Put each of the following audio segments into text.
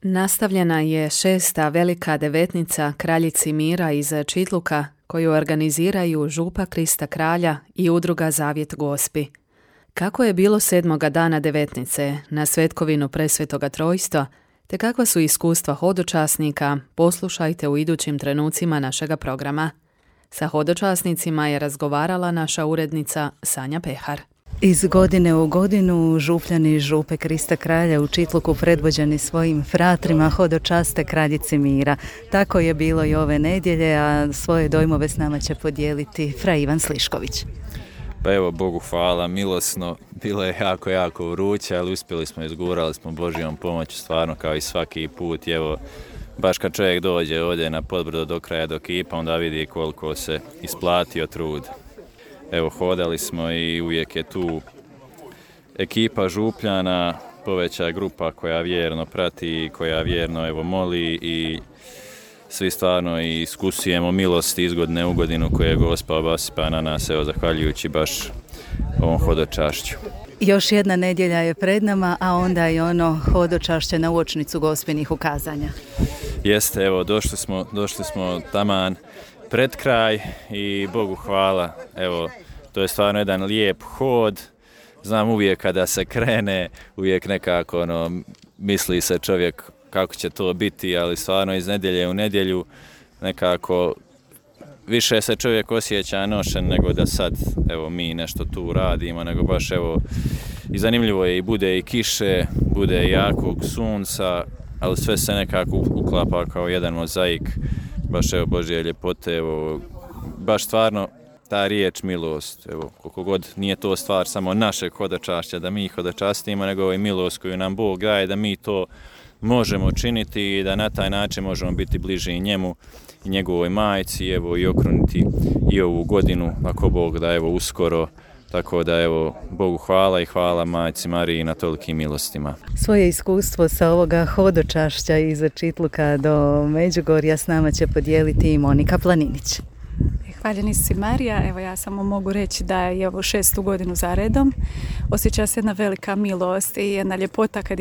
Nastavljena je 6. velika devetnica Kraljici mira iz Čitluka koju organiziraju Župa Krista Kralja i udruga Zavjet Gospi. Kako je bilo 7. dana devetnice na svetkovinu Presvetoga Trojstva, te kakva su iskustva hodočasnika, poslušajte u idućim trenucima našega programa. Sa hodočasnicima je razgovarala naša urednica Sanja Pehar. Iz godine u godinu župljani Župe Krista Kralja u Čitluku predvođeni svojim fratrima hodočaste Kraljici mira. Tako je bilo i ove nedjelje, a svoje dojmove s nama će podijeliti fra Ivan Slišković. Pa evo, Bogu hvala, milosno, bilo je jako vruće, ali uspjeli smo, izgurali smo Božjom pomoću, stvarno kao i svaki put. Evo, baš kad čovjek dođe ovdje na Podbrdo do kraja do Kipa, onda vidi koliko se isplatio trud. Evo, hodali smo i uvijek je tu ekipa Župljana, poveća grupa koja vjerno prati, koja vjerno evo moli i svi stvarno iskusujemo milosti iz godine u godinu koje je Gospa obasipa na nas, evo, zahvaljujući baš ovom hodočašću. Još jedna nedjelja je pred nama, a onda i ono hodočašće na uočnicu Gospinih ukazanja. Jeste, evo, došli smo taman pred kraj i Bogu hvala, evo, to je stvarno jedan lijep hod. Znam, uvijek kada se krene, uvijek nekako misli se čovjek kako će to biti, ali stvarno iz nedjelje u nedjelju nekako više se čovjek osjeća nošen nego da sad evo mi nešto tu radimo, nego baš evo i zanimljivo je i bude i kiše, bude i jakog sunca, ali sve se nekako uklapa kao jedan mozaik, baš evo Božje ljepote, evo baš stvarno ta riječ milost, evo koliko god nije to stvar samo našeg hodočašća da mi hodočastimo, nego i milost koju nam Bog daje da mi to možemo činiti i da na taj način možemo biti bliži i njemu i njegovoj majci, evo i okruniti i ovu godinu ako Bog da evo uskoro. Tako da evo, Bogu hvala i hvala Majci Mariji na tolikim milostima. Svoje iskustvo sa ovoga hodočašća iz Čitluka do Međugorja s nama će podijeliti i Monika Planinić. Hvaljeni si Marija, evo ja samo mogu reći da je ovo 6. godinu za redom. Osjeća se jedna velika milost i jedna ljepota kad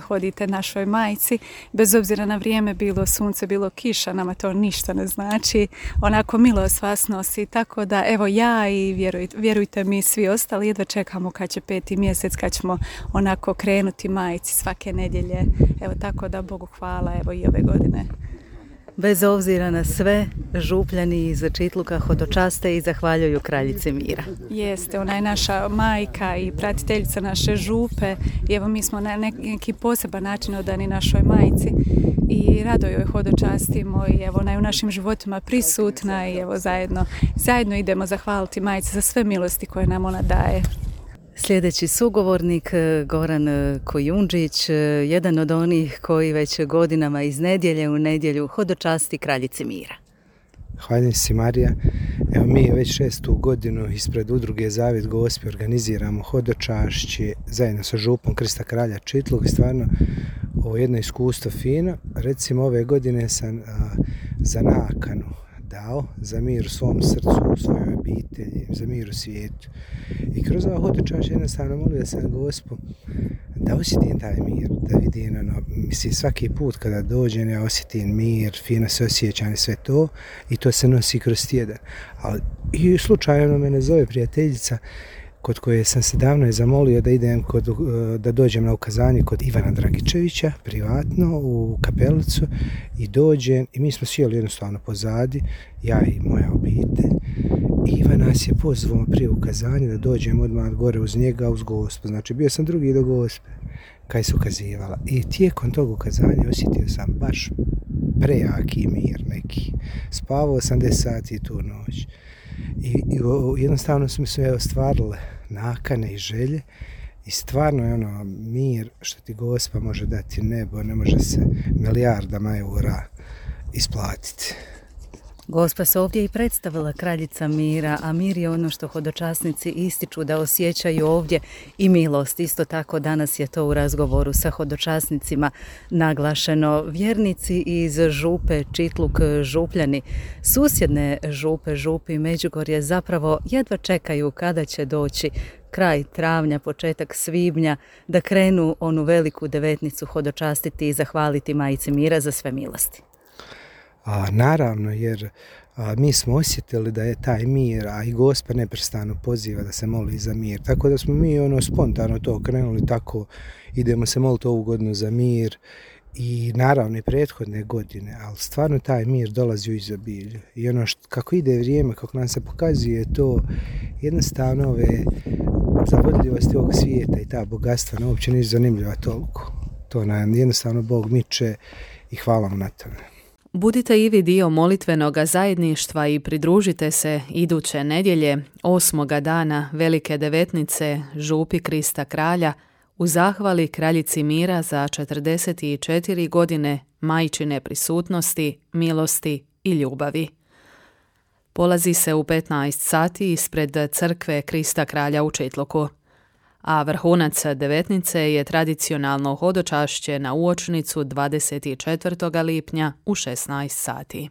hodite našoj majci. Bez obzira na vrijeme, bilo sunce, bilo kiša, nama to ništa ne znači. Onako milost vas nosi, tako da evo ja i vjerujte mi svi ostali jedva čekamo kad će 5. mjesec, kad ćemo onako krenuti majci svake nedjelje. Evo tako da Bogu hvala evo i ove godine. Bez obzira na sve, župljani iz Čitluka hodočaste i zahvaljuju Kraljici mira. Jeste, ona je naša majka i pratiteljica naše župe i evo mi smo na neki poseban način odani našoj majci i rado joj hodočastimo i evo ona je u našim životima prisutna i evo zajedno idemo zahvaliti majci za sve milosti koje nam ona daje. Sljedeći sugovornik, Goran Kojundžić, jedan od onih koji već godinama iz nedjelje u nedjelju hodočasti Kraljici mira. Hvala si Marija. Evo mi već 6. godinu ispred udruge Zavjet Gospi organiziramo hodočašće zajedno sa Župom Krista Kralja Čitluk i stvarno ovo jedno iskustvo fino. Recimo ove godine sam za nakanu dao za mir u svom srcu, u svojoj obitelji, za mir u svijetu. I kroz ovo hodočašće jednostavno molio sam Gospu da osjetim taj mir, da vidim svaki put kada dođem ja osjetim mir, fino se osjećam i sve to i to se nosi kroz tjedan. Ali i slučajno me zove prijateljica kod koje sam se davno zamolio da idem da dođem na ukazanje kod Ivana Dragičevića, privatno, u kapelicu i dođem i mi smo sjeli jednostavno pozadi, ja i moja obitelj. I Ivan nas je pozvao prije ukazanja da dođem odmah gore uz njega, uz Gospu. Znači bio sam drugi do Gospe kaj se ukazivala. I tijekom tog ukazanja osjetio sam baš prejaki mir neki. Spavao sam 10 sati tu noć. I jednostavno su mi se ostvarile nakane i želje i stvarno je mir što ti Gospa može dati nebo, ne može se milijardama eura isplatiti. Gospa se ovdje i predstavila Kraljica mira, a mir je ono što hodočasnici ističu da osjećaju ovdje i milost. Isto tako danas je to u razgovoru sa hodočasnicima naglašeno. Vjernici iz Župe Čitluk Župljani, susjedne Župe, Župi, Međugorje zapravo jedva čekaju kada će doći kraj travnja, početak svibnja, da krenu onu veliku devetnicu hodočastiti i zahvaliti Majci Mira za sve milosti? Naravno, jer mi smo osjetili da je taj mir, a i Gospa neprestano poziva da se moli za mir. Tako da smo mi spontano to krenuli, tako idemo se moliti ovu godinu za mir i naravno i prethodne godine, ali stvarno taj mir dolazi u izobilju. I kako ide vrijeme, kako nam se pokazuje to, jednostavno ove zavodljivosti ovog svijeta i ta bogatstva nam uopće nisu zanimljiva toliko. To nam jednostavno Bog miče i hvala mu na tome. Budite i vi dio molitvenoga zajedništva i pridružite se iduće nedjelje, 8. dana Velike devetnice, župi Krista Kralja, u zahvali Kraljici Mira za 44 godine majčine prisutnosti, milosti i ljubavi. Polazi se u 15 sati ispred crkve Krista Kralja u Čitluku, a vrhunac devetnice je tradicionalno hodočašće na uočnicu 24. lipnja u 16 sati.